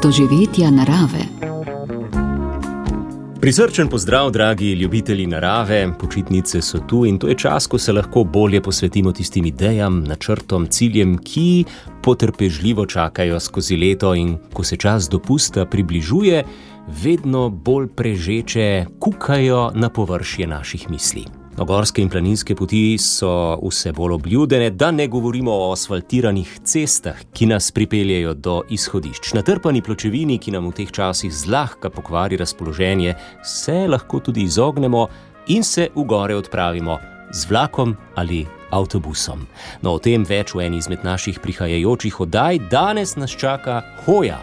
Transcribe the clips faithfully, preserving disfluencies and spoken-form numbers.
doživetja narave. Prisrčen pozdrav, dragi ljubitelji narave, počitnice so tu in to je čas, ko se lahko bolje posvetimo tistim idejam, načrtom, ciljem, ki potrpežljivo čakajo skozi leto in ko se čas dopusta približuje, vedno bolj prežeče kukajo na površje naših misli. No, gorske in planinske poti so vse bolj obljudene, da ne govorimo o asfaltiranih cestah, ki nas pripeljejo do izhodišč. Natrpani pločevini, ki nam v teh časih zlahka pokvari razpoloženje, se lahko tudi izognemo in se v gore odpravimo z vlakom ali avtobusom. No, o tem več v eni izmed naših prihajajočih oddaj. Danes nas čaka hoja.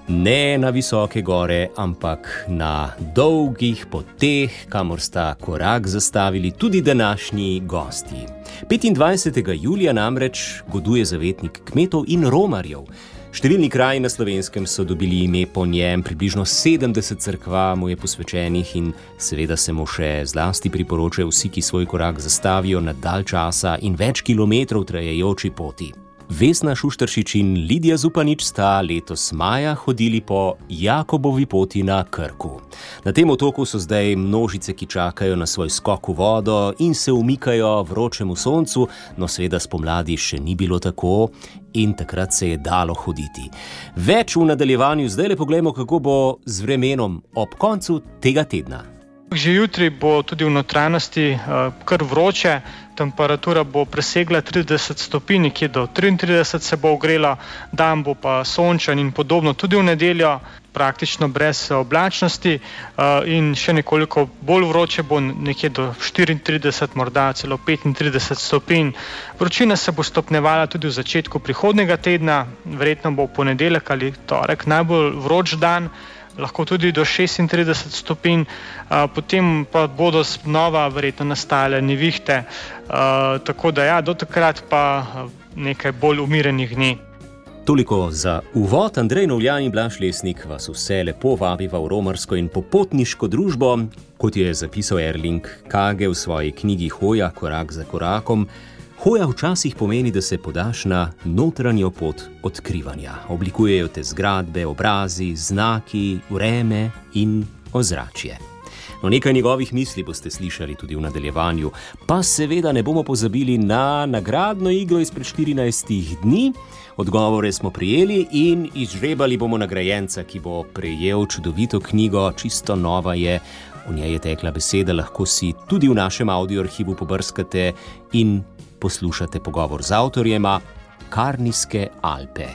Ne na visoke gore, ampak na dolgih poteh, kamor sta korak zastavili tudi današnji gosti. petindvajsetega julija namreč goduje zavetnik kmetov in romarjev. Številni kraji na Slovenskem so dobili ime po njem, približno sedemdeset cerkva mu je posvečenih in seveda se mu še zlasti priporočajo vsi, ki svoj korak zastavijo na dalj časa in več kilometrov trajajoči poti. Vesna Šušteršič in Lidija Zupanič sta letos maja hodili po Jakobovi poti na Krku. Na tem otoku so zdaj množice, ki čakajo na svoj skok v vodo in se umikajo vročemu soncu, no seveda spomladi še ni bilo tako in takrat se je dalo hoditi. Več v nadaljevanju, zdaj le poglejmo, kako bo z vremenom ob koncu tega tedna. Že jutri bo tudi v notranjosti kar vroče, temperatura bo presegla trideset stopinj, nekje do triintrideset se bo ogrela, dan bo pa sončen in podobno. Tudi v nedeljo praktično brez oblačnosti in še nekoliko bolj vroče bo, nekje do štiriintrideset, morda celo petintrideset stopinj. Vročina se bo stopnjevala tudi v začetku prihodnjega tedna, verjetno bo v ponedeljek ali torek najbolj vroč dan, lahko tudi do šestintrideset stopinj, potem pa bodo znova verjetno nastajale nevihte, tako da ja, do takrat pa nekaj bolj umirenih dni. Toliko za uvod. Andrej Novljan in Blaž Lesnik vas vse lepo vabiva v romarsko in popotniško družbo, kot je zapisal Erling Kage v svoji knjigi Hoja, korak za korakom. Hoja včasih pomeni, da se podaš na notranjo pot odkrivanja. Oblikujejo te zgradbe, obrazi, znaki, vreme in ozračje. No, nekaj njegovih misli boste slišali tudi v nadaljevanju, pa seveda ne bomo pozabili na nagradno igro izpred štirinajstih dni. Odgovore smo prijeli in izžrebali bomo nagrajenca, ki bo prejel čudovito knjigo, čisto nova je. V njej je tekla beseda, lahko si tudi v našem audioarhivu pobrskate in poslušate pogovor z avtorjema Karnijske Alpe.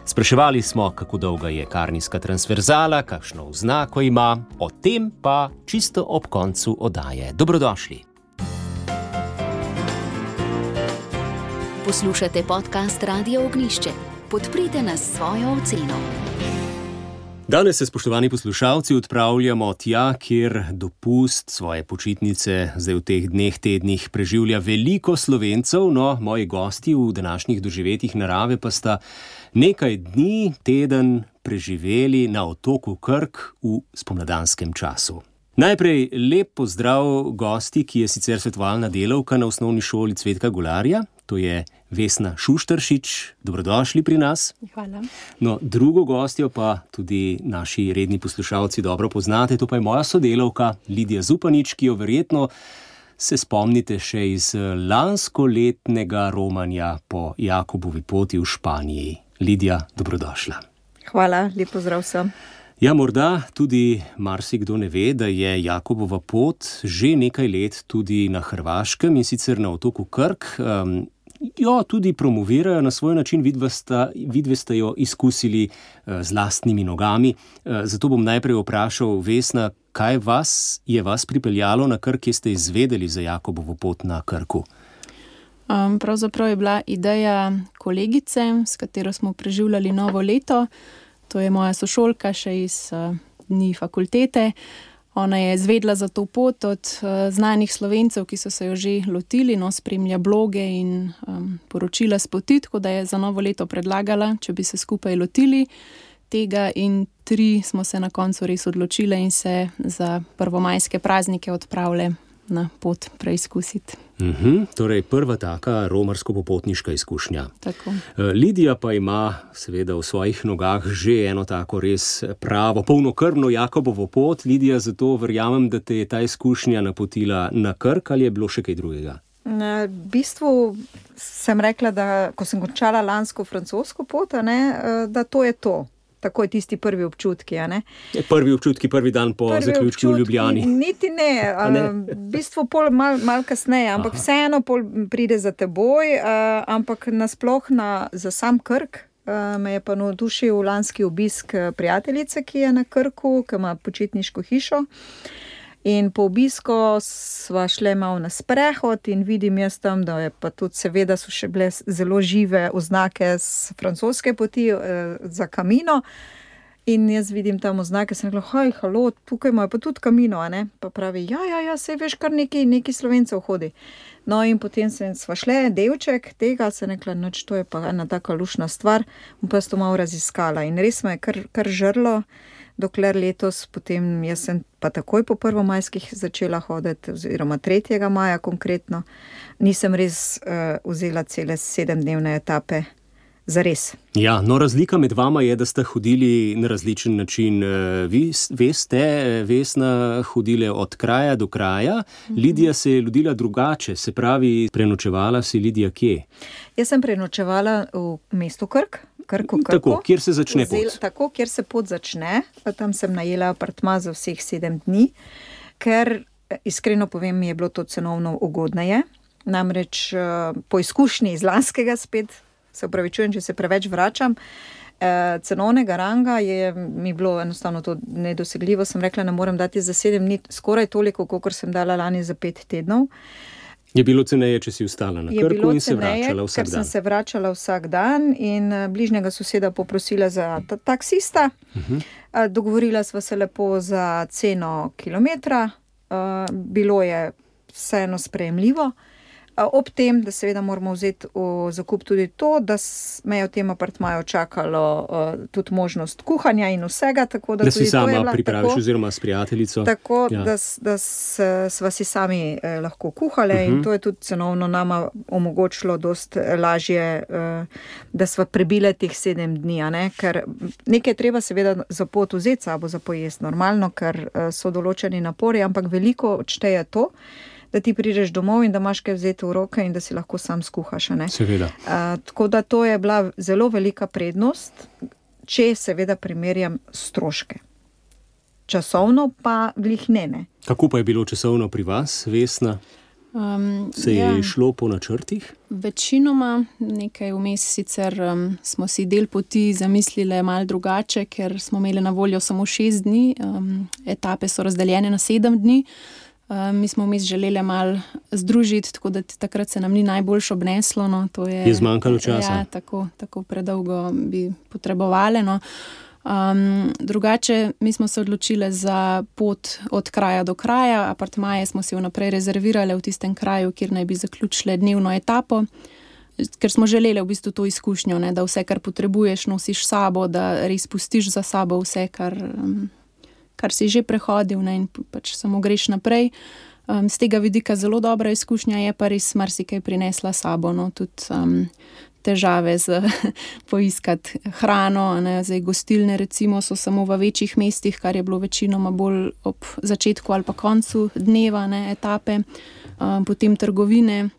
Spraševali smo, kako dolga je Karnijska transverzala, kakšno oznako ima, o tem pa čisto ob koncu oddaje. Dobrodošli. Poslušate podcast Radio Ognjišče. Podprite nas s svojo oceno. Danes se, spoštovani poslušalci, odpravljamo tja, kjer dopust, svoje počitnice zdaj v teh dneh, tednih preživlja veliko Slovencev, no, moji gosti v današnjih doživetjih narave pa sta nekaj dni, teden preživeli na otoku Krk v spomladanskem času. Najprej lep pozdrav gosti, ki je sicer svetovalna delavka na osnovni šoli Cvetka Golarja, to je Vesna Šušteršič. Dobrodošli pri nas. Hvala. No, drugo gostjo pa tudi naši redni poslušalci dobro poznate, to pa je moja sodelavka Lidija Zupanič, ki jo verjetno se spomnite še iz lanskoletnega romanja po Jakobovi poti v Španiji. Lidija, dobrodošla. Hvala, lep pozdrav vsem. Ja, morda tudi marsikdo ne ve, da je Jakobova pot že nekaj let tudi na Hrvaškem in sicer na otoku Krk. Um, jo tudi promovirajo na svoj način, vidve sta jo izkusili uh, z lastnimi nogami. Uh, zato bom najprej vprašal, Vesna, kaj vas je vas pripeljalo na Krk, kje ste izvedeli za Jakobovo pot na Krku? Um, pravzaprav je bila ideja kolegice, s katero smo preživljali novo leto. To je moja sošolka še iz uh, dni fakultete. Ona je izvedla za to pot od uh, znanih Slovencev, ki so se jo že lotili, no, spremlja bloge in um, poročila s poti, tako da je za novo leto predlagala, če bi se skupaj lotili tega, in tri smo se na koncu res odločile in se za prvomajske praznike odpravile na pot preizkusiti. Uhum, torej prva taka romarsko-popotniška izkušnja. Tako. Lidija pa ima seveda v svojih nogah že eno tako res pravo, polnokrvno Jakobovo pot. Lidija, zato verjamem, da te je ta izkušnja napotila na Krk, ali je bilo še kaj drugega? V bistvu sem rekla, da ko sem končala lansko francosko pot, a ne, da to je to. Tako je tisti prvi občutki, a ne? Prvi občutki, prvi dan po prvi zaključku v Ljubljani. Niti ne, ne? v bistvu pol mal, mal kasneje, ampak Aha. vseeno pol pride za teboj, uh, ampak nasploh na, za sam Krk uh, me je pa navdušil lanski obisk prijateljice, ki je na Krku, ki ima počitniško hišo. In po obisku sva šle malo na sprehod in vidim jaz tam, da je pa tudi seveda so še bile zelo žive oznake z francoske poti eh, za Camino. In jaz vidim tam oznake, sem rekla, haj, halo, tukaj imajo pa tudi Camino, a ne? Pa pravi, ja, ja, ja, sej veš, kar neki, neki Slovencev hodi. No in potem sem sva šle, delček tega, sem rekla, noč, to je pa ena taka lušna stvar, bom pa to malo raziskala. In res me je kar, kar žrlo, dokler letos, potem jaz sem pa takoj po prvomajskih začela hoditi, oziroma tretjega maja konkretno, nisem res uh, vzela cele sedemdnevne etape za res. Ja, no razlika med vama je, da ste hodili na različen način. Vi veste, Vesna, hodile od kraja do kraja, mm-hmm. Lidija se je lodila drugače, se pravi, prenočevala si Lidija kje? Jaz sem prenočevala v mestu Krk. Krko, krko. Tako, kjer se začne pot. Vzel, tako, kjer se pot začne. Tam sem najela apartma za vseh sedem dni, ker iskreno povem, mi je bilo to cenovno ugodneje. Namreč po izkušnji iz lanskega spet, se upravičujem, če se preveč vračam, cenovnega ranga je mi bilo enostavno to nedosegljivo. Sem rekla, ne morem dati za sedem dni skoraj toliko, kolikor sem dala lani za pet tednov. Je bilo ceneje, če si ostala na Krku in se ceneje, vračala vsak dan? Ker sem dan. se vračala vsak dan in bližnjega soseda poprosila za ta- taksista. Uh-huh. Dogovorila sva se lepo za ceno kilometra. Bilo je vseeno sprejemljivo. Ob tem, da seveda moramo vzeti v zakup tudi to, da me je v tem apartmaju čakalo uh, tudi možnost kuhanja in vsega. Tako da da si sama bila, pripraviš tako, oziroma s prijateljico. Tako, ja. da, da sva si sami eh, lahko kuhale uh-huh. in to je tudi cenovno nama omogočilo dost lažje, eh, da sva prebile teh sedem dni. A ne? Ker nekaj treba seveda za pot vzeti sabo za pojest normalno, ker eh, so določeni napori, ampak veliko odšteje to, da ti prideš domov in da imaš kaj vzeti v roke in da si lahko sam skuhaš. Ne? Seveda. Uh, tako da to je bila zelo velika prednost, če seveda primerjam stroške. Časovno pa glih ne, ne. Kako pa je bilo časovno pri vas, Vesna? Um, Se je ja. šlo po načrtih? Večinoma, nekaj vmes sicer um, smo si del poti zamislili malo drugače, ker smo imeli na voljo samo šest dni, um, etape so razdeljene na sedem dni. Uh, mi smo vmes želeli malo združiti, tako da takrat se nam ni najboljš obneslo. No, to je, je zmanjkalo časa. Ja, tako, tako predolgo bi potrebovali. No. Um, drugače, mi smo se odločili za pot od kraja do kraja. Apartmaje smo si vnaprej rezervirali v tistem kraju, kjer naj bi zaključili dnevno etapo, ker smo želeli v bistvu to izkušnjo, ne, da vse, kar potrebuješ, nosiš sabo, da res pustiš za sabo vse, kar... Um, kar si že prehodil, ne, in pač samo greš naprej. Um, z tega vidika zelo dobra izkušnja je pa res marsikaj prinesla sabo, no, tudi um, težave z poiskati hrano, ne, zdaj gostilne recimo so samo v večjih mestih, kar je bilo večinoma bolj ob začetku ali pa koncu dneva, ne, etape, um, potem trgovine.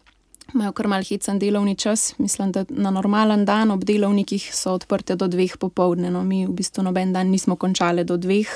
Imajo kar mal hecen delovni čas, mislim, da na normalen dan ob delovnikih so odprte do dveh popoldne, no, mi v bistvu noben dan nismo končali do dveh,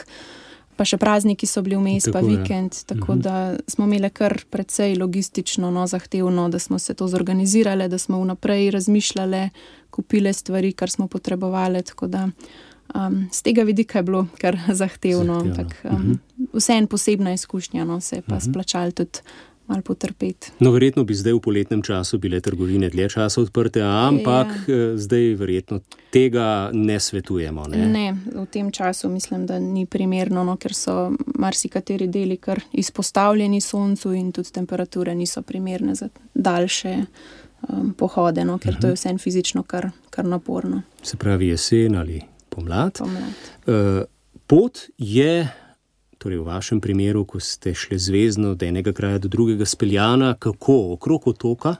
pa še prazniki so bili vmes, pa vikend, tako uh-huh. da smo imeli kar precej logistično, no, zahtevno, da smo se to zorganizirali, da smo vnaprej razmišljali, kupile stvari, kar smo potrebovali, tako da um, z tega vidika je bilo kar zahtevno, zahtevno. Tak, um, uh-huh. vse en posebna izkušnja, no, se je pa uh-huh. splačali tudi malo potrpeti. No, verjetno bi zdaj v poletnem času bile trgovine dlje časa odprte, ampak ja. zdaj verjetno tega ne svetujemo. Ne? ne, v tem času mislim, da ni primerno, no, ker so marsikateri deli kar izpostavljeni soncu in tudi temperature niso primerne za daljše um, pohode, no, ker uh-huh. to je vse fizično kar, kar naporno. Se pravi jesen ali pomlad. Pomlad. Uh, pot je torej v vašem primeru, ko ste šli zvezno od enega kraja do drugega speljana, kako okrog otoka?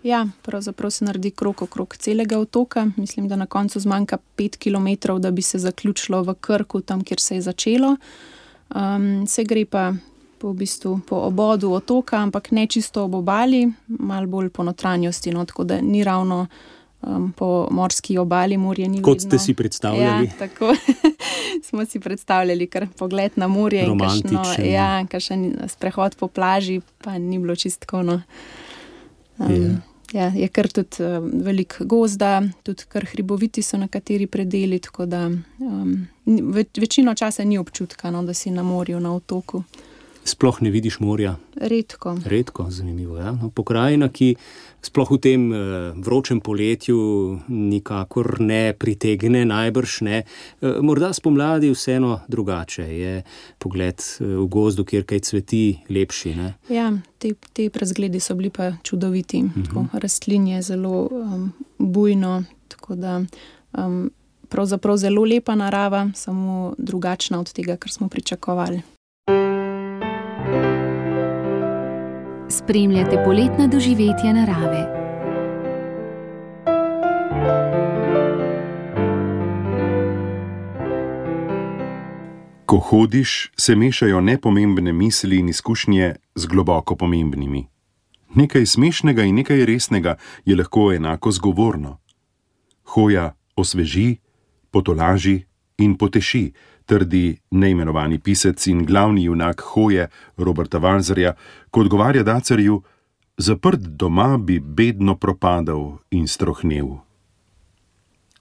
Ja, pravzaprav se naredi krog okrog celega otoka. Mislim, da na koncu zmanjka pet kilometrov, da bi se zaključilo v Krku, tam, kjer se je začelo. Um, se gre pa po, v bistvu, po obodu otoka, ampak ne čisto ob obali, malo bolj po notranjosti, no, tako da ni ravno um, po morski obali, morje ni Kot vidno. ste si predstavljali. Ja, tako smo si predstavljali, kar pogled na morje in kakšno, ja, kakšen sprehod po plaži, pa ni bilo čistko, no. Um, yeah. Ja, je kar tudi uh, velik gozda, tudi kar hriboviti so nekateri predeli, tako da um, več, večino časa ni občutka, no, da si na morju, na otoku. Sploh ne vidiš morja? Redko. Redko, zanimivo. Ja? No, pokrajina, ki sploh v tem uh, vročem poletju nikakor ne pritegne, najbrž ne. Uh, morda spomladi vseeno drugače. Je pogled uh, v gozdu, kjer kaj cveti, lepši, ne? Ja, te, te razgledi so bili pa čudoviti. Uh-huh. Tako, rastlin je zelo um, bujno, tako da um, pravzaprav zelo lepa narava, samo drugačna od tega, kar smo pričakovali. Spremljate poletna doživetja narave. Ko hodiš, se mešajo nepomembne misli in izkušnje z globoko pomembnimi. Nekaj smešnega in nekaj resnega je lahko enako zgovorno. Hoja osveži, potolaži in poteši, trdi neimenovani pisec in glavni junak Hoje Roberta Walserja, ko odgovarja dacarju: zaprt doma bi bedno propadal in strohnel.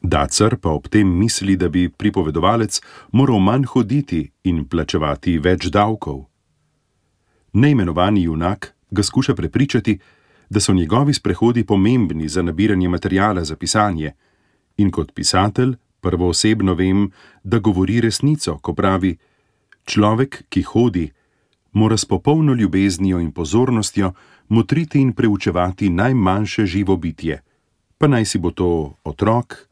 Dacar pa ob tem misli, da bi pripovedovalec moral manj hoditi in plačevati več davkov. Neimenovani junak ga skuša prepričati, da so njegovi sprehodi pomembni za nabiranje materiala za pisanje, in kot pisatelj prvoosebno vem, da govori resnico, ko pravi: človek, ki hodi, mora s popolno ljubeznijo in pozornostjo motriti in preučevati najmanjše živo bitje, pa naj si bo to otrok,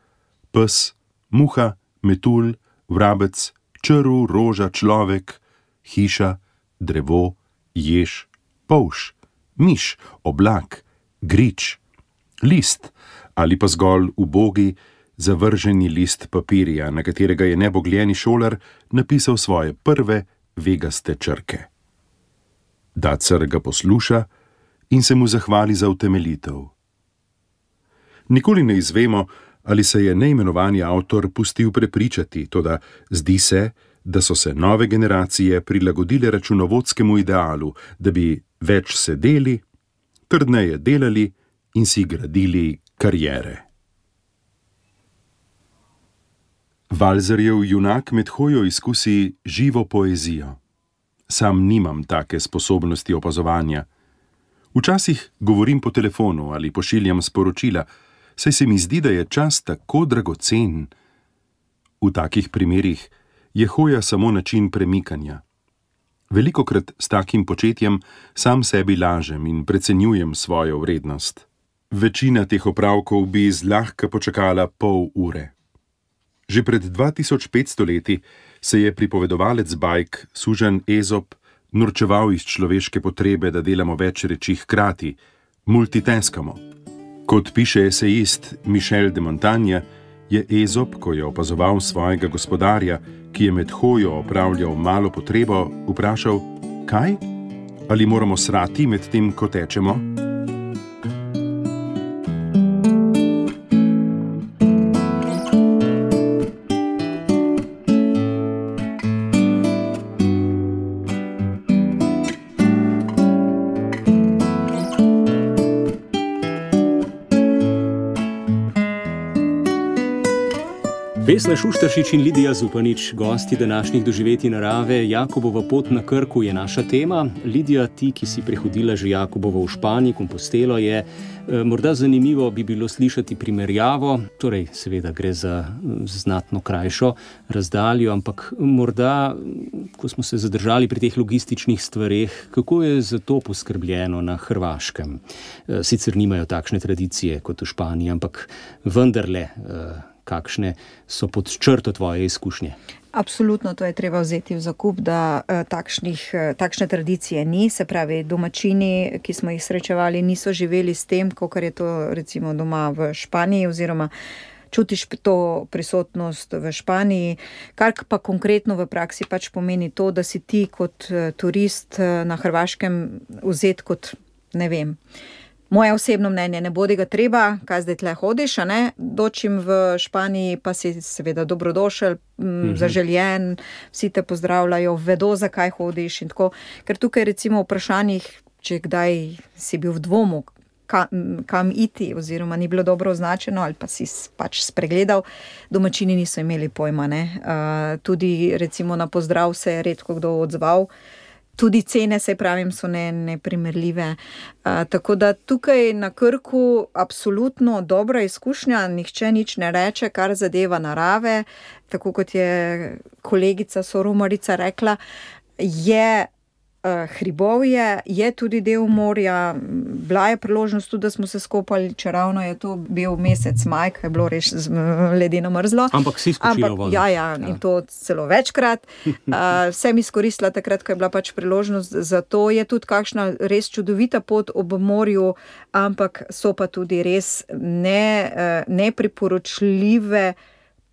pes, muha, metulj, vrabec, črv, roža, človek, hiša, drevo, jež, polž, miš, oblak, grič, list ali pa zgolj ubogi, zavrženi list papirja, na katerega je nebogljeni šolar napisal svoje prve vegaste črke. Dacar ga posluša in se mu zahvali za utemeljitev. Nikoli ne izvemo, ali se je neimenovani avtor pustil prepričati, toda zdi se, da so se nove generacije prilagodile računovodskemu idealu, da bi več sedeli, trdneje delali in si gradili kariere. Walserjev junak med hojo izkusi živo poezijo. Sam nimam take sposobnosti opazovanja. Včasih govorim po telefonu ali pošiljam sporočila, saj se mi zdi, da je čas tako dragocen. V takih primerih je hoja samo način premikanja. Velikokrat s takim početjem sam sebi lažem in precenjujem svojo vrednost. Večina teh opravkov bi zlahka počakala pol ure. Že pred dva tisoč petsto leti se je pripovedovalec bajk sužnj Ezop norčeval iz človeške potrebe, da delamo več reči hkrati, multitaskamo. Kot piše esejist Michel de Montaigne, je Ezop, ko je opazoval svojega gospodarja, ki je med hojo opravljal malo potrebo, vprašal: kaj? Ali moramo srati med tem, ko tečemo? Vesna Šuštaršič in Lidija Zupanič, gosti današnjih doživetij narave. Jakobova pot na Krku je naša tema. Lidija, ti, ki si prehodila že Jakobovo v Španiji, Kompostelo, je morda zanimivo bi bilo slišati primerjavo, torej seveda gre za znatno krajšo razdaljo, ampak morda, ko smo se zadržali pri teh logističnih stvareh, kako je za to poskrbljeno na Hrvaškem? Sicer nimajo takšne tradicije kot v Španiji, ampak vendarle, kakšne so pod črto tvoje izkušnje? Absolutno, to je treba vzeti v zakup, da uh, takšnih, uh, takšne tradicije ni, se pravi, domačini, ki smo jih srečevali, niso živeli s tem, kot je to recimo doma v Španiji, oziroma čutiš to prisotnost v Španiji, kar pa konkretno v praksi pač pomeni to, da si ti kot uh, turist uh, na Hrvaškem vzet kot, ne vem, moje osebno mnenje, ne bodi ga treba, kaj zdaj tle hodiš, a ne, dočim v Španiji pa si seveda dobrodošel, mm-hmm. zaželjen, vsi te pozdravljajo, vedo, zakaj hodiš in tako, ker tukaj recimo v vprašanjih, če kdaj si bil v dvomu, kam, kam iti, oziroma ni bilo dobro označeno ali pa si pač spregledal, domačini niso imeli pojma, ne, uh, tudi recimo na pozdrav se je redko kdo odzval. Tudi cene, se pravim, so ne, neprimerljive. Uh, tako da tukaj na Krku absolutno dobra izkušnja, nihče nič ne reče, kar zadeva narave. Tako kot je kolegica Soromarica rekla, je uh, hribovje, je tudi del morja. Bila je priložnost tudi, da smo se skopali, če ravno je to bil mesec maj, ko je bilo res ledeno mrzlo. Ampak si skočila vodo. Ja, ja, ja, in to celo večkrat. Uh, vsem izkoristila takrat, ko je bila pač priložnost. Zato je tudi kakšna res čudovita pot ob morju, ampak so pa tudi res ne, uh, nepriporočljive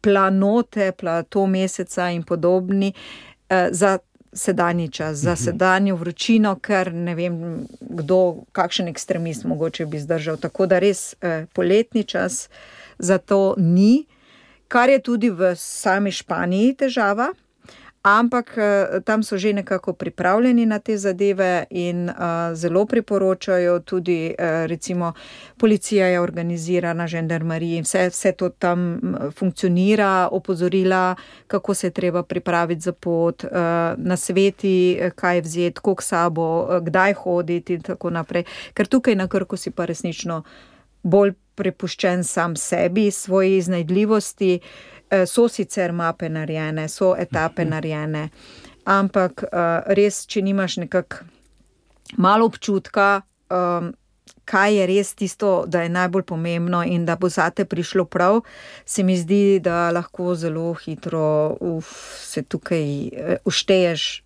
planote, plato meseca in podobni uh, za sedanji čas, za sedanjo vročino, ker ne vem, kdo, kakšen ekstremist mogoče bi zdržal. Tako da res eh, poletni čas za to ni, kar je tudi v sami Španiji težava, ampak eh, tam so že nekako pripravljeni na te zadeve in eh, zelo priporočajo tudi, eh, recimo, policija je organizirana, žandarmerija, vse, vse to tam funkcionira, opozorila, kako se je treba pripraviti za pot, eh, nasveti, kaj vzeti, koliko sabo, eh, kdaj hoditi in tako naprej. Ker tukaj na Krku si pa resnično bolj prepuščen sam sebi, svoji iznajdljivosti. So sicer mape narejene, so etape narejene, ampak uh, res, če nimaš nekako malo občutka, um, kaj je res tisto, da je najbolj pomembno in da bo zate prišlo prav, se mi zdi, da lahko zelo hitro uf, se tukaj uh, ušteješ,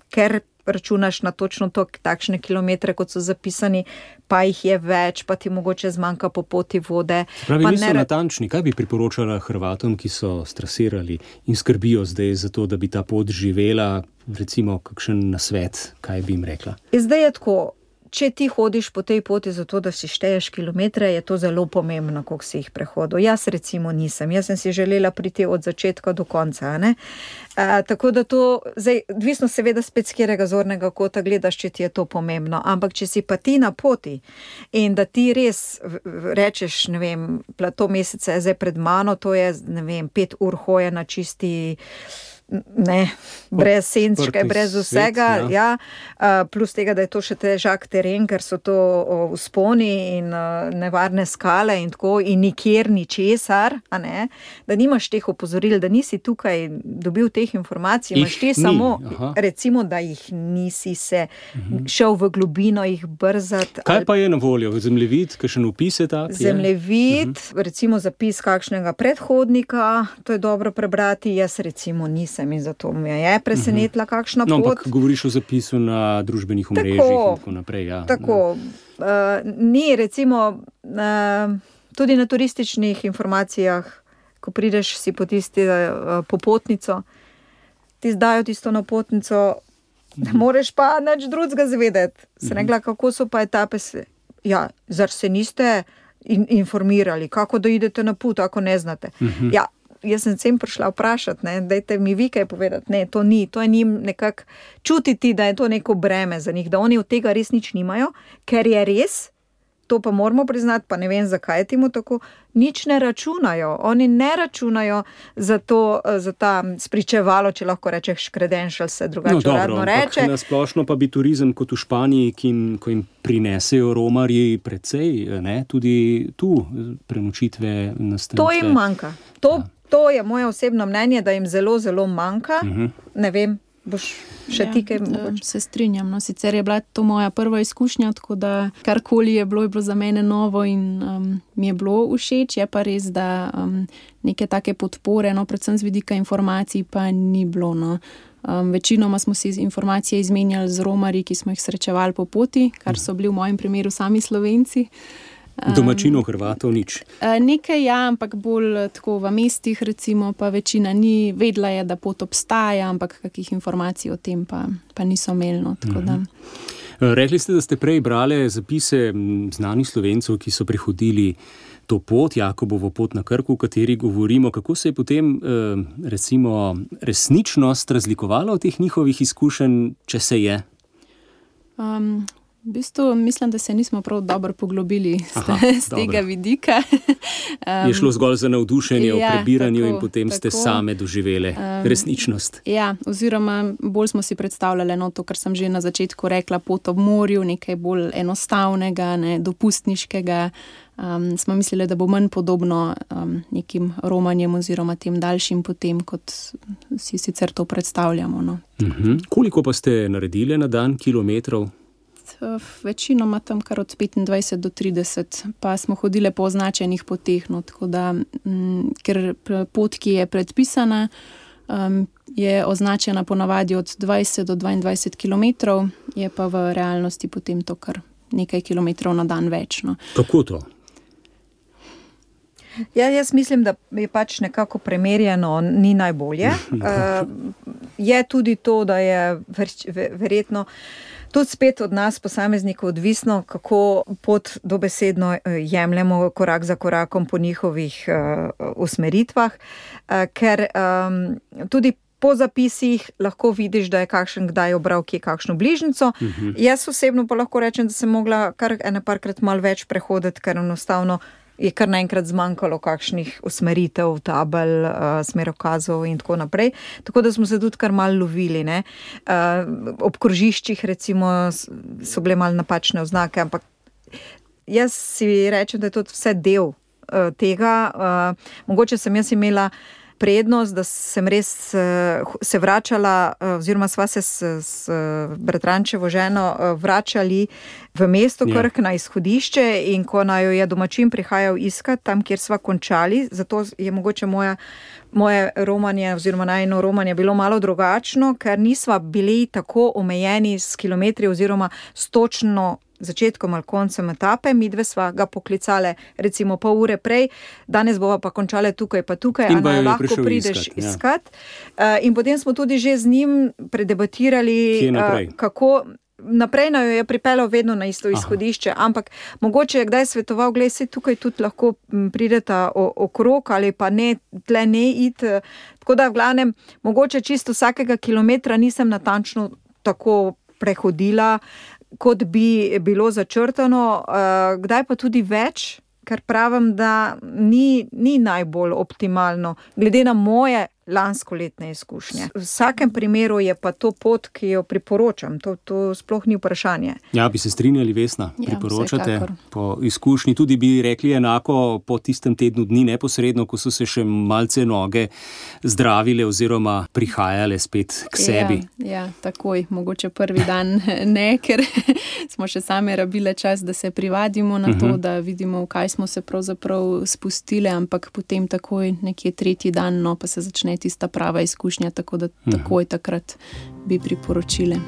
ker računaš na točno to, takšne kilometre, kot so zapisani, pa jih je več, pa ti mogoče zmanjka po poti vode. Pravi, pa niso ne... natančni. Kaj bi priporočala Hrvatom, ki so strasirali in skrbijo zdaj za to, da bi ta pot živela, recimo kakšen nasvet, kaj bi jim rekla? Zdaj je tako, če ti hodiš po tej poti zato, da si šteješ kilometre, je to zelo pomembno, koliko si jih prehodil. Jaz recimo nisem. Jaz sem si želela priti od začetka do konca, ne? A, tako da to, zdaj, odvisno seveda spet z katerega zornega kota gledaš, če ti je to pomembno, ampak če si pa ti na poti in da ti res rečeš, ne vem, plato meseca je zdaj pred mano, to je, ne vem, pet ur hoje na čisti, ne, brez senčke, brez vsega, svet, ja. Ja, plus tega, da je to še težak teren, ker so to vzponi in nevarne skale in tako, in nikjer ničesar, a ne, da nimaš teh opozoril, da nisi tukaj dobil teh informacij, imaš ti samo, aha, recimo, da jih nisi se uhum. šel v globino jih brzati. Kaj pa je na voljo? Zemljevid, kakšen opis je tak? Zemljevid, uhum. recimo zapis kakšnega predhodnika, to je dobro prebrati, jaz recimo nisem in zato me je presenetila kakšna no, pot. Ampak govoriš o zapisu na družbenih omrežjih in tako naprej. Ja. Tako, uh, ni recimo uh, tudi na turističnih informacijah, ko prideš si po tisti uh, popotnico, ti zdajo tisto napotnico, ne moreš pa nič drugega zvedeti. Se rekla, kako so pa etape, ja, zar se niste in, informirali, kako da idete na pot, ako ne znate. Uh-huh. Ja, jaz sem sem prišla vprašati, ne, dajte mi vi kaj povedati, ne, to ni, to je njim nekako čutiti, da je to neko breme za njih, da oni od tega res nič nimajo, ker je res, to pa moramo priznati, pa ne vem, zakaj je temu tako, nič ne računajo, oni ne računajo za to, za ta spričevalo, če lahko rečeš credentials, se drugače no, dobro, uradno reče. Na splošno pa bi turizem kot v Španiji, ki jim, ko jim prinesejo romarji precej, ne, tudi tu prenočitve, nastanitve. To jim manjka, to ja. To je moje osebno mnenje, da jim zelo, zelo manjka. Uh-huh. Ne vem, boš še Ja, ti kaj eh, mogoče? se strinjam. No. Sicer je bila to moja prva izkušnja, tako da karkoli je bilo, je bilo za mene novo in um, mi je bilo všeč. Je pa res, da um, neke take podpore, no, predvsem z vidika informacij, pa ni bilo. No. Um, večinoma smo si informacije izmenjali z romarji, ki smo jih srečevali po poti, kar so bili v mojem primeru sami Slovenci. Domačinov, Hrvatov nič. Uh, nekaj ja, ampak bolj tako v mestih, recimo, pa večina ni vedela, je, da pot obstaja, ampak kakih informacij o tem pa, pa niso imeli. No, tako da. Rekli ste, da ste prej brali zapise znanih Slovencev, ki so prehodili to pot, Jakobovo pot na Krku, o kateri govorimo. Kako se je potem recimo resničnost razlikovala od teh njihovih izkušenj, če se je? Um, v bistvu mislim, da se nismo prav dobro poglobili Aha, z tega vidika. Um, je šlo zgolj za navdušenje ja, o prebiranju tako, in potem tako, ste same doživele um, resničnost. Ja, oziroma bolj smo si predstavljali no, to, kar sem že na začetku rekla, pot ob morju, nekaj bolj enostavnega, ne, dopustniškega. Um, smo mislili, da bo manj podobno um, nekim romanjem oziroma tem daljšim potem, kot si sicer to predstavljamo. No. Uh-huh. Koliko pa ste naredili na dan kilometrov? Večinoma tam kar od petindvajset do trideset, pa smo hodile po označenih poteh, no, tako da, m, ker pot, ki je predpisana, um, je označena ponavadi od dvajset do dvaindvajset kilometrov, je pa v realnosti potem to kar nekaj kilometrov na dan več. No. Kako to? Ja, jaz mislim, da je pač nekako premerjeno ni najbolje. Uh, je tudi to, da je ver, verjetno tudi spet od nas, posameznikov, odvisno, kako pot dobesedno jemljemo korak za korakom po njihovih uh, usmeritvah, uh, ker um, tudi po zapisih lahko vidiš, da je kakšen kdaj obral kje kakšno bližnjico. Uh-huh. Jaz osebno pa lahko rečem, da sem mogla kar ene parkrat malo več prehoditi, ker enostavno je kar naenkrat zmanjkalo kakšnih usmeritev, tabel, uh, smerokazov in tako naprej. Tako da smo se tudi kar malo lovili. Ne? Uh, ob krožiščih recimo so bile malo napačne oznake, ampak jaz si rečem, da je to vse del uh, tega. Uh, mogoče sem jaz imela prednost, da sem res se vračala, oziroma sva se s, s bratrančevo ženo vračali v mesto Krk na izhodišče in ko naj jo je domačin prihajal iskat tam, kjer sva končali, zato je mogoče moja, moje romanje oziroma najno romanje bilo malo drugačno, ker nisva bili tako omejeni s kilometri oziroma s točno začetkom ali koncem etape, midve sva ga poklicale recimo pol ure prej, danes bova pa končale tukaj pa tukaj, a naj lahko prideš iskat. iskat. Ja. Uh, in potem smo tudi že z njim predebatirali, uh, kako naprej naj jo je pripeljal vedno na isto izhodišče, Aha. ampak mogoče je kdaj svetoval, glej, se tukaj tudi lahko prideta okrog ali pa ne, tle ne iti. Tako da v glavnem, mogoče čisto vsakega kilometra nisem natančno tako prehodila, kot bi bilo začrtano, kdaj pa tudi več, ker pravim, da ni, ni najbolj optimalno, glede na moje lanskoletne izkušnje. V vsakem primeru je pa to pot, ki jo priporočam, to, to sploh ni vprašanje. Ja, bi se strinjali, Vesna, ja, priporočate vsekakor. Po izkušnji, tudi bi rekli enako po tistem tednu dni neposredno, ko so se še malce noge zdravile oziroma prihajale spet k sebi. Ja, ja, takoj, mogoče prvi dan ne, ker smo še same rabile čas, da se privadimo na to, uh-huh. da vidimo, v kaj smo se pravzaprav spustile, ampak potem takoj nekje tretji dan, no, pa se začne tista prava izkušnja, tako da takoj takrat bi priporočile.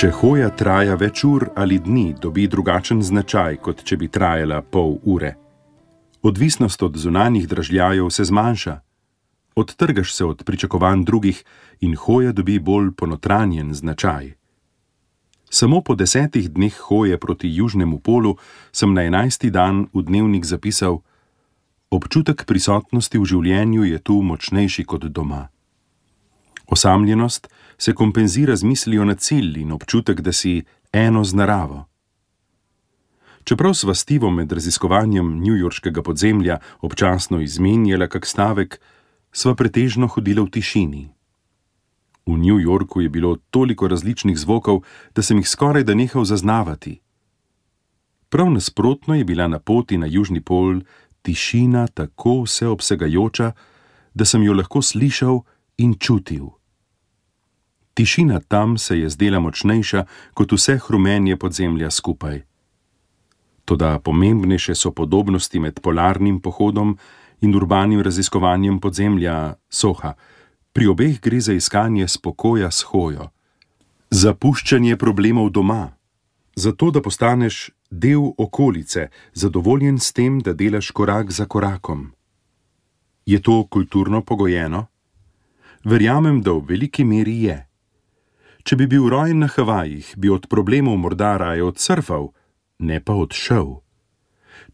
Če hoja traja več ur ali dni, dobi drugačen značaj, kot če bi trajala pol ure. Odvisnost od zunanjih dražljajev se zmanjša. Odtrgaš se od pričakovanj drugih in hoja dobi bolj ponotranjen značaj. Samo po desetih dneh hoje proti južnemu polu sem na enajsti dan v dnevnik zapisal: občutek prisotnosti v življenju je tu močnejši kot doma. Osamljenost se kompenzira z mislijo na cilj in občutek, da si eno z naravo. Čeprav sva Stivo med raziskovanjem newyorškega podzemlja občasno izmenjala kak stavek, sva pretežno hodila v tišini. V New Yorku je bilo toliko različnih zvokov, da sem jih skoraj da nehal zaznavati. Prav nasprotno je bila na poti na južni pol tišina tako vseobsegajoča, da sem jo lahko slišal in čutil. Tišina tam se je zdela močnejša kot vse hrumenje podzemlja skupaj. Toda pomembnejše so podobnosti med polarnim pohodom in urbanim raziskovanjem podzemlja Soha. Pri obeh gre za iskanje spokoja s hojo. Zapuščanje problemov doma. Zato, da postaneš del okolice, zadovoljen s tem, da delaš korak za korakom. Je to kulturno pogojeno? Verjamem, da v veliki meri je. Če bi bil rojen na Havajih, bi od problemov morda raje odsurfal, ne pa odšel.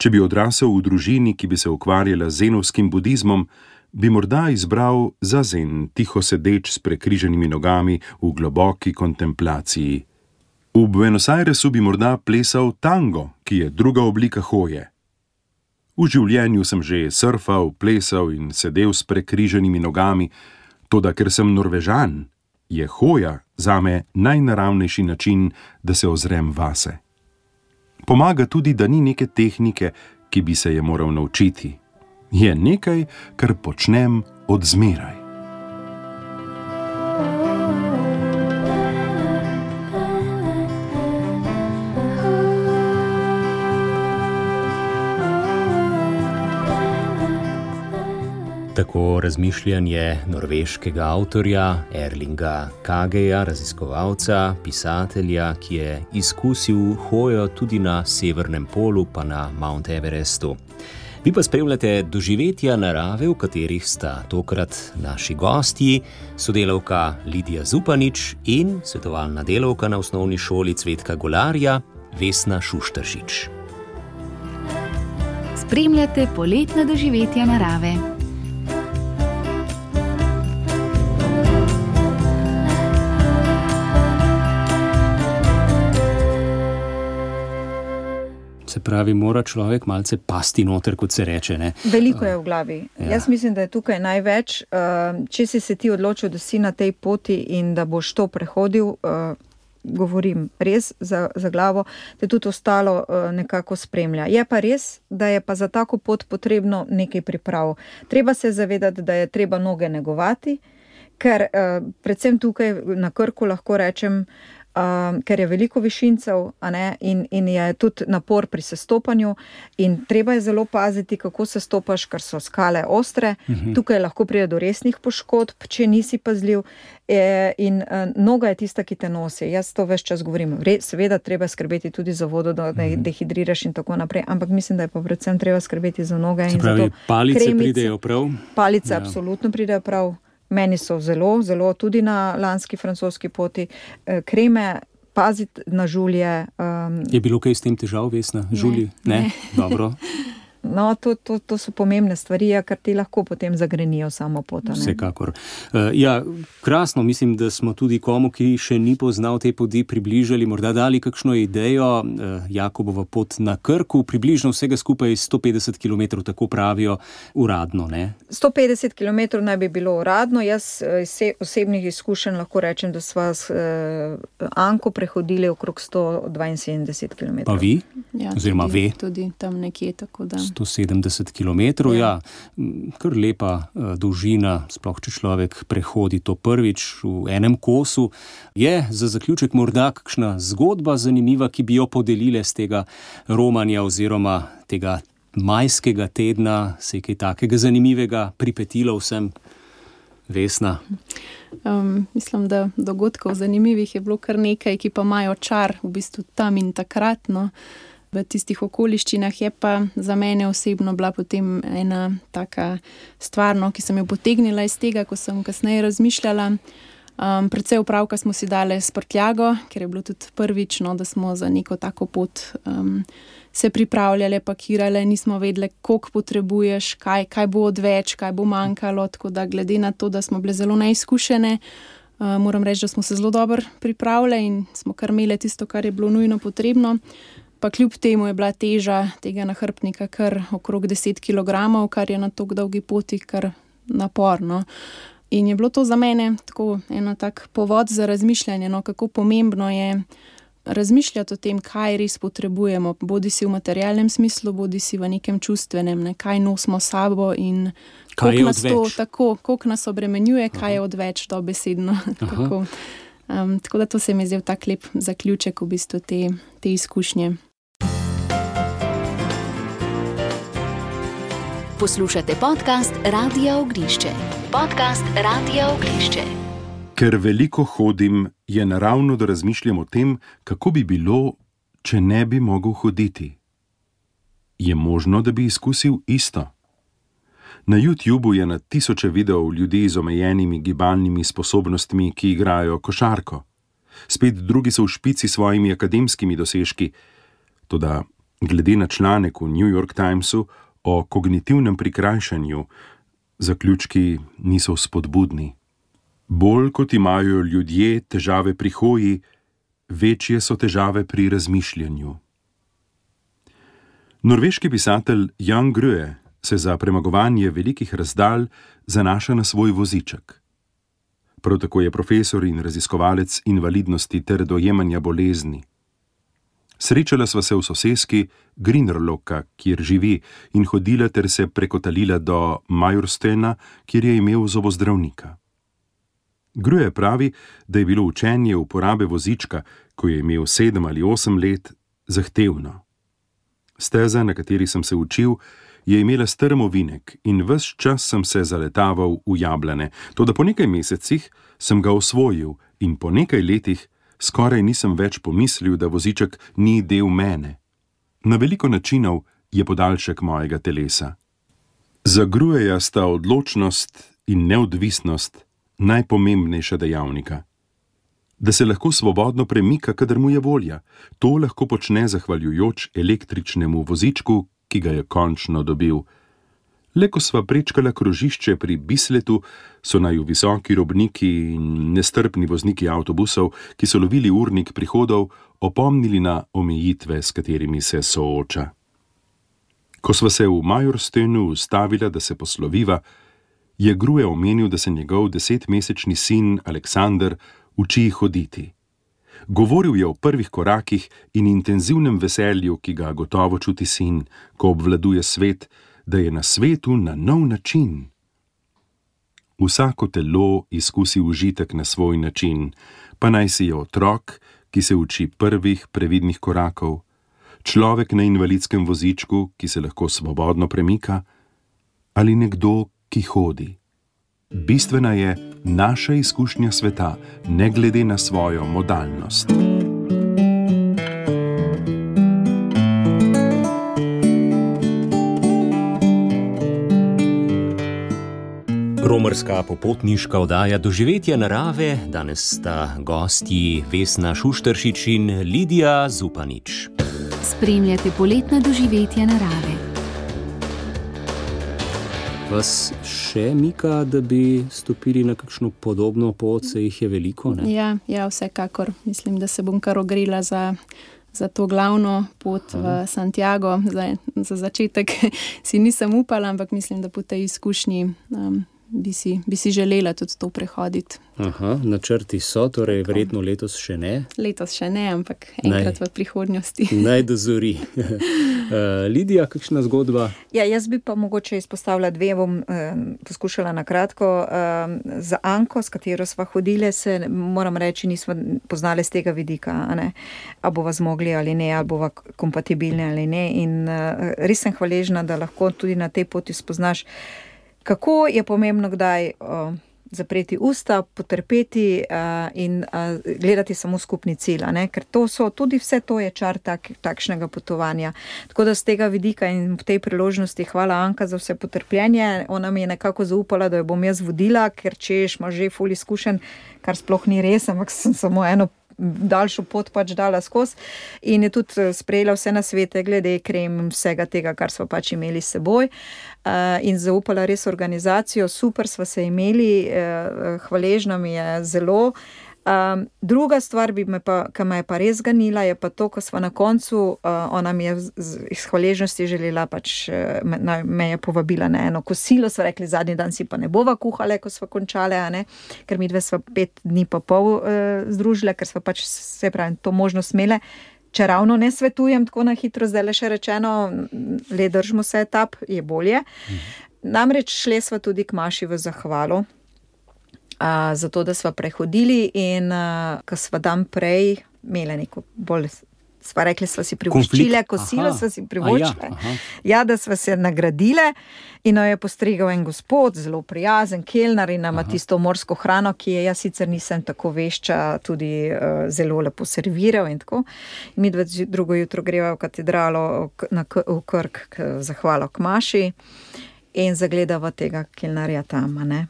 Če bi odrasel v družini, ki bi se ukvarjala z zenovskim budizmom, bi morda izbral zazen, tiho sedeč s prekriženimi nogami v globoki kontemplaciji. V Buenos Airesu bi morda plesal tango, ki je druga oblika hoje. V življenju sem že surfal, plesal in sedel s prekriženimi nogami, toda ker sem Norvežan, je hoja zame najnaravnejši način, da se ozrem vase. Pomaga tudi, da ni neke tehnike, ki bi se je moral naučiti. Je nekaj, kar počnem od zmeraj. Tako razmišljanje norveškega avtorja Erlinga Kageja, raziskovalca, pisatelja, ki je izkusil hojo tudi na severnem polu pa na Mount Everestu. Vi pa spremljate doživetja narave, v katerih sta tokrat naši gostji, sodelavka Lidija Zupanič in svetovalna delavka na osnovni šoli Cvetka Golarja Vesna Šuštaršič. Spremljate poletna doživetja narave. Se pravi, mora človek malce pasti noter, kot se reče, ne? Veliko je v glavi. Ja. Jaz mislim, da je tukaj največ. Če si se ti odločil, da si na tej poti in da boš to prehodil, govorim res za, za glavo, da tudi ostalo nekako spremlja. Je pa res, da je pa za tako pot potrebno nekaj priprav. Treba se zavedati, da je treba noge negovati, ker predvsem tukaj na Krku lahko rečem, Uh, ker je veliko višincev, a ne, in, in je tudi napor pri sestopanju in treba je zelo paziti, kako se stopaš, ker so skale ostre. Uh-huh. Tukaj lahko pride do resnih poškodb, če nisi pazljiv e, in uh, noga je tista, ki te nosi. Jaz to ves čas govorim. Re, seveda treba skrbeti tudi za vodo, da ne uh-huh. dehidriraš in tako naprej, ampak mislim, da je pa predvsem treba skrbeti za noge. Se pravi, palice kremice, pridejo prav? Palice ja. absolutno pridejo prav. Meni so zelo, zelo tudi na lanski francoski poti kreme, paziti na žulje. Um, je bilo kaj s tem težav, Vesna? Žulji? Ne. ne? Dobro. No, to, to, to so pomembne stvari, ker ti lahko potem zagrenijo samo pot. Vsekakor. Uh, ja, krasno, mislim, da smo tudi komu, ki še ni poznal te poti, približali, morda dali kakšno idejo. Uh, Jakobova pot na Krku, približno vsega skupaj sto petdeset kilometrov, tako pravijo uradno, ne? sto petdeset kilometrov naj bi bilo uradno. Jaz iz osebnih izkušenj lahko rečem, da sva s uh, Anko prehodili okrog sto dvainsedemdeset kilometrov. Pa vi? Ja, oziroma tudi, ve? Tudi tam nekje, tako da... sto sedemdeset kilometrov, ja. ja, kar lepa uh, dolžina, sploh če človek prehodi to prvič v enem kosu. Je za zaključek morda kakšna zgodba zanimiva, ki bi jo podelile z tega romanja oziroma tega majskega tedna, se je kaj takega zanimivega pripetilo vsem? Vesna? Um, mislim, da dogodkov zanimivih je bilo kar nekaj, ki pa imajo čar v bistvu tam in takrat, no. V tistih okoliščinah je pa za mene osebno bila potem ena taka stvar, no, ki sem jo potegnila iz tega, ko sem kasneje razmišljala. Um, predvsej opravka smo si dali s prtljago, ker je bilo tudi prvič, no, da smo za neko tako pot um, se pripravljali, pakirali, nismo vedeli, koliko potrebuješ, kaj, kaj bo odveč, kaj bo manjkalo, tako da glede na to, da smo bile zelo neizkušene, uh, moram reči, da smo se zelo dobro pripravljali in smo kar imeli tisto, kar je bilo nujno potrebno. Pa kljub temu je bila teža tega nahrbtnika kar okrog deset kilogramov, kar je na tako dolgi poti kar naporno. In je bilo to za mene tako eno tak povod za razmišljanje, no, kako pomembno je razmišljati o tem, kaj res potrebujemo, bodi si v materialnem smislu, bodi si v nekem čustvenem, ne, kaj nosimo sabo in koliko nas to tako, koliko nas obremenjuje, kaj je odveč dobesedno. tako. Um, tako da to se mi je zdel tak lep zaključek v bistvu te, te izkušnje. Poslušate podcast Radia Ognjišče. Podcast Radia Ognjišče. Ker veliko hodim, je naravno, da razmišljam o tem, kako bi bilo, če ne bi mogel hoditi. Je možno, da bi izkusil isto? Na YouTubu je na tisoče videov ljudi z omejenimi gibalnimi sposobnostmi, ki igrajo košarko. Spet drugi so v špici svojimi akademskimi dosežki. Toda glede na članek v New York Timesu o kognitivnem prikrajšanju, zaključki niso spodbudni. Bolj kot imajo ljudje težave pri hoji, večje so težave pri razmišljanju. Norveški pisatelj Jan Grøe se za premagovanje velikih razdalj zanaša na svoj voziček. Prav tako je profesor in raziskovalec invalidnosti ter dojemanja bolezni. Srečala sva se v soseski Grünerløkka, kjer živi, in hodila ter se prekotalila do Majorstøna, kjer je imel zobozdravnika. Grøe pravi, da je bilo učenje uporabe vozička, ko je imel sedem ali osem let, zahtevno. Steza, na kateri sem se učil, je imela strm ovinek in ves čas sem se zaletaval v jablane, toda po nekaj mesecih sem ga osvojil in po nekaj letih skoraj nisem več pomislil, da voziček ni del mene. Na veliko načinov je podaljšek mojega telesa. Za Grøeja sta odločnost in neodvisnost najpomembnejša dejavnika. Da se lahko svobodno premika, kadar mu je volja. To lahko počne zahvaljujoč električnemu vozičku, ki ga je končno dobil. Le ko sva prečkala krožišče pri Bisletu, so naju visoki robniki in nestrpni vozniki avtobusov, ki so lovili urnik prihodov, opomnili na omejitve, s katerimi se sooča. Ko sva se v Majorstønu ustavila, da se posloviva, je Grøe omenil, da se njegov desetmesečni sin Aleksander uči hoditi. Govoril je o prvih korakih in intenzivnem veselju, ki ga gotovo čuti sin, ko obvladuje svet, da je na svetu na nov način. Vsako telo izkusi užitek na svoj način, pa naj si je otrok, ki se uči prvih previdnih korakov, človek na invalidskem vozičku, ki se lahko svobodno premika, ali nekdo, ki hodi. Bistvena je naša izkušnja sveta, ne glede na svojo modalnost. Romarska popotniška oddaja Doživetje narave, danes sta gostji Vesna Šušteršič in Lidija Zupanič. Spremljate poletna doživetja narave. Vas še mika, da bi stopili na kakšno podobno pot, se jih je veliko, ne? Ja, ja, vsekakor. Mislim, da se bom kar ogrela za, za to glavno pot Aha. v Santiago. Za, za začetek si nisem upala, ampak mislim, da po tej izkušnji um, bi, si, bi si želela tudi to prehoditi. Aha, načrti so, torej Tako. Verjetno letos še ne? Letos še ne, ampak enkrat naj, v prihodnosti. Naj dozori. Lidija, kakšna zgodba? Ja, jaz bi pa mogoče izpostavila dve, bom eh, poskušala na kratko. Eh, za Anko, s katero sva hodile, se moram reči, nismo poznali z tega vidika, a ne? A bova zmogli ali ne, ali bova kompatibilni ali ne. In eh, res sem hvaležna, da lahko tudi na tej poti spoznaš, kako je pomembno kdaj uh, zapreti usta, potrpeti uh, in uh, gledati samo skupni cilj, ne? Ker to so, tudi vse to je čar tak, takšnega potovanja. Tako da z tega vidika in v tej priložnosti hvala Anka za vse potrpljenje. Ona mi je nekako zaupala, da jo bom jaz vodila, ker češ ima že ful izkušenj, kar sploh ni res, ampak sem samo eno daljšo pot pač dala skozi in je tudi sprejela vse nasvete glede krem, vsega tega, kar smo pač imeli s seboj uh, in zaupala res organizacijo, super sva se imeli, uh, hvaležna mi je zelo. Um, druga stvar, bi me pa, ki me je pa res ganila, je pa to, ko sva na koncu, uh, ona mi je iz hvaležnosti želela, pač me, me je povabila na eno kosilo, sva rekli, zadnji dan si pa ne bova kuhale, ko sva končale, a ne, ker mi dve sva pet dni pa pol uh, združile, ker sva pač se pravi to možnost imele. Če ravno ne svetujem tako na hitro, zdaj le še rečeno, le držimo se etap, je bolje. Mhm. Namreč šle sva tudi k Maši v zahvalo, Uh, zato, da sva prehodili in uh, ko sva dan prej imela neko bolj, sva rekli, sva si privoščile, kosilo sva si privoščile, ja, ja, da sva se nagradile in jo je postregal en gospod, zelo prijazen kelner in nama tisto morsko hrano, ki je, jaz sicer nisem tako vešča, tudi uh, zelo lepo serviral in tako. In mi dve drugo jutro greva v katedralo na, v Krk, k zahvalo k Maši in zagledava tega kelnerja tam, ne.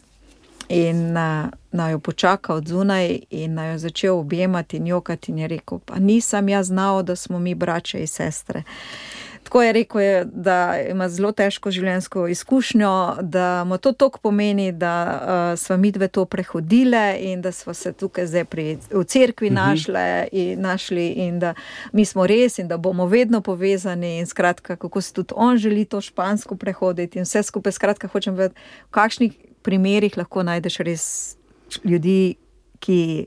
In uh, naj jo počaka od zunaj in naj jo začel objemati in jokati in je rekel, pa nisem jaz znal, da smo mi braće in sestre. Tako je rekel, je, da ima zelo težko življenjsko izkušnjo, da mu to toliko pomeni, da uh, sva mi dve to prehodile in da sva se tukaj zdaj pri, v cerkvi našle in našli in da mi smo res in da bomo vedno povezani in skratka, kako se tudi on želi to špansko prehoditi in vse skupaj, skratka, hočem vedeti, v kakšnih primerih lahko najdeš res ljudi, ki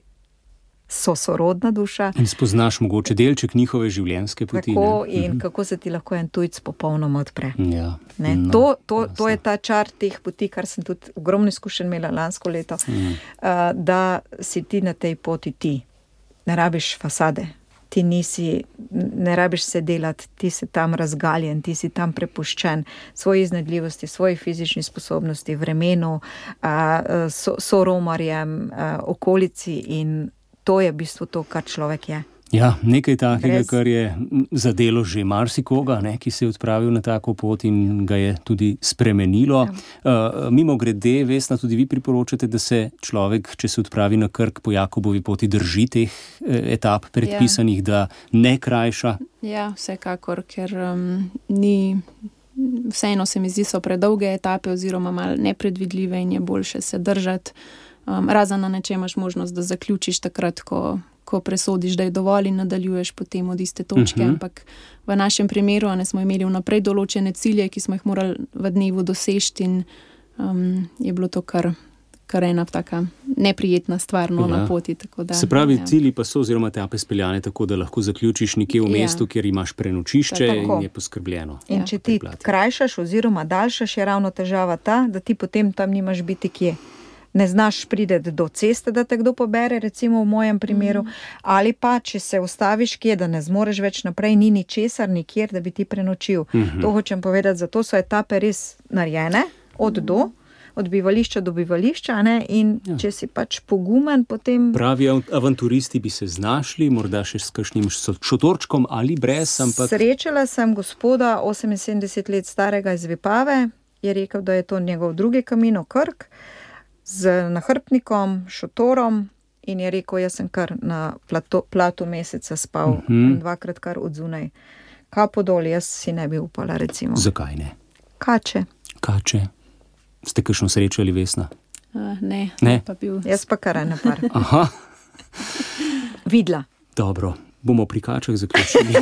so sorodna duša. In spoznaš mogoče delček njihove življenjske poti. Tako, in mhm. kako se ti lahko en tujc popolnoma odpre. Ja. Ne, no, to, to, to je ta čar teh poti, kar sem tudi ogromno izkušenj imela lansko leto, mhm. uh, da si ti na tej poti ti. Ne rabiš fasade. Ti nisi, ne rabiš se delati, ti si tam razgaljen, ti si tam prepuščen svoji iznajdljivosti, svoji fizični sposobnosti, vremenu, so, soromarjem, okolici in to je v bistvu to, kar človek je. Ja, nekaj takega, Brez... kar je zadelo že marsikoga, ne, ki se je odpravil na tako pot in ga je tudi spremenilo. Ja. Uh, mimo grede, Vesna, tudi vi priporočate, da se človek, če se odpravi na Krk po Jakobovi poti, drži teh eh, etap predpisanih, ja. Da ne krajša? Ja, vsekakor, ker um, ni, vseeno se mi zdi, so predolge etape oziroma malo nepredvidljive in je boljše se držati. Um, razen na nečem imaš možnost, da zaključiš takrat, ko ko presodiš, da je dovolj in nadaljuješ potem od iste točke, uh-huh. ampak v našem primeru ne smo imeli vnaprej določene cilje, ki smo jih morali v dnevu doseči in um, je bilo to kar, kar ena taka neprijetna stvar no, ja. Na poti. Tako da, se pravi, ja. Cilji pa so oziroma etape speljane tako, da lahko zaključiš nekje v mestu, ja. Kjer imaš prenočišče in je poskrbljeno. In ja. Če ti krajšaš oziroma daljšaš, je ravno težava ta, da ti potem tam nimaš biti kje. Ne znaš prideti do ceste, da te kdo pobere, recimo v mojem primeru, mm. ali pa, če se ustaviš kje, da ne zmoreš več naprej, ni ničesar, nikjer, da bi ti prenočil. Mm-hmm. To hočem povedati, zato so etape res narejene, od do, od bivališča do bivališča, ne? In ja. Če si pač pogumen, potem... Pravi avanturisti bi se znašli, morda še s kakšnim šotorčkom ali brez, ampak... Srečala sem gospoda, oseminsedemdeset let starega iz Vipave, je rekel, da je to njegov drugi Camino Krk, z nahrbtnikom, šotorom in je rekel, jaz sem kar na plato, platu meseca spal uh-huh. dvakrat kar od zunaj. Kapo dol, jaz si ne bi upala, recimo. Zakaj ne? Kače. Kače. Ste kakšno srečali, Vesna? Uh, ne, ne. Pa bil... Jaz pa kar ene par. Aha. Vidla. Dobro, bomo pri kačah zaključili.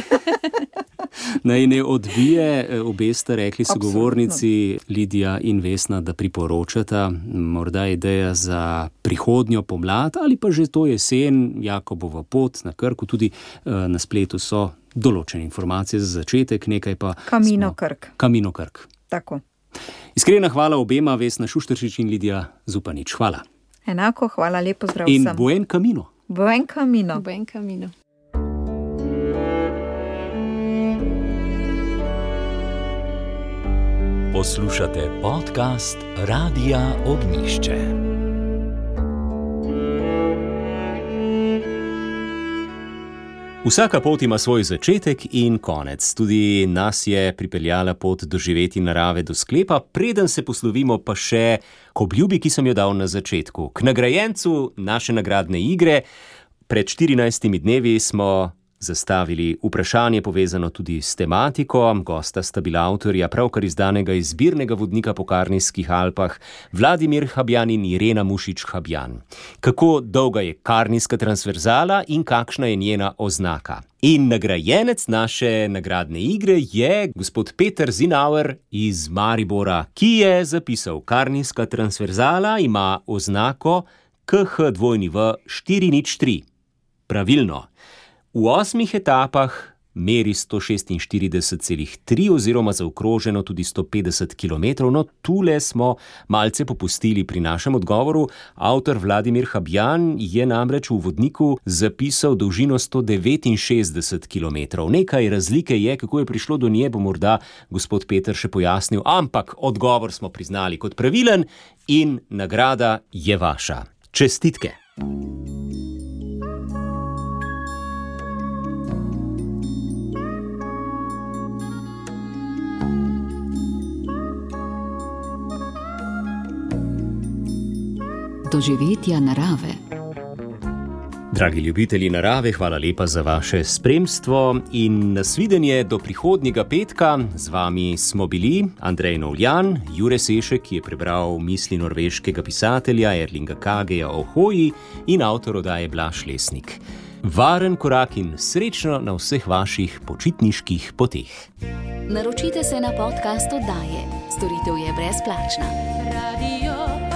Naj ne odbije, obe sta rekli sogovornici Lidija in Vesna, da priporočata morda ideja za prihodnjo pomlad ali pa že to jesen, Jakobova pot na Krku, tudi na spletu so določene informacije za začetek, nekaj pa... Camino Krk. Camino Krk. Tako. Iskrena hvala obema, Vesna Šušteršič in Lidija Zupanič. Hvala. Enako, hvala, lepo zdrav in vsem. In buen camino. Buen camino. Buen camino. Poslušate podcast Radia Ognjišče. Vsaka pot ima svoj začetek in konec. Tudi nas je pripeljala pot doživeti narave do sklepa, preden se poslovimo pa še k obljubi, ki sem jo dal na začetku. K nagrajencu naše nagradne igre. Pred štirinajstimi dnevi smo zastavili vprašanje povezano tudi s tematiko. Gosta sta bila avtorja pravkar izdanega izbirnega vodnika po Karnijskih Alpah Vladimir Habjan in Irena Mušič Habjan. Kako dolga je Karnijska transverzala in kakšna je njena oznaka? In nagrajenec naše nagradne igre je gospod Peter Zinauer iz Maribora, ki je zapisal: Karnijska transverzala ima oznako K H W štiri nič tri. Pravilno. V osmih etapah meri sto šestinštirideset celih tri oziroma zaokroženo tudi sto petdeset kilometrov, no tule smo malce popustili pri našem odgovoru. Avtor Vladimir Habjan je namreč v vodniku zapisal dolžino sto devetinšestdeset kilometrov. Nekaj razlike je, kako je prišlo do nje, bo morda gospod Peter še pojasnil, ampak odgovor smo priznali kot pravilen in nagrada je vaša. Čestitke! Doživetja narave. Dragi ljubitelji narave, hvala lepa za vaše spremstvo in nasvidenje do prihodnjega petka. Z vami smo bili Andrej Novljan, Jure Sešek, ki je prebral misli norveškega pisatelja Erlinga Kageja o hoji, in avtor oddaje Blaž Lesnik. Varen korak in srečno na vseh vaših počitniških poteh. Naročite se na podcast oddaje. Storitev je brezplačna. Radio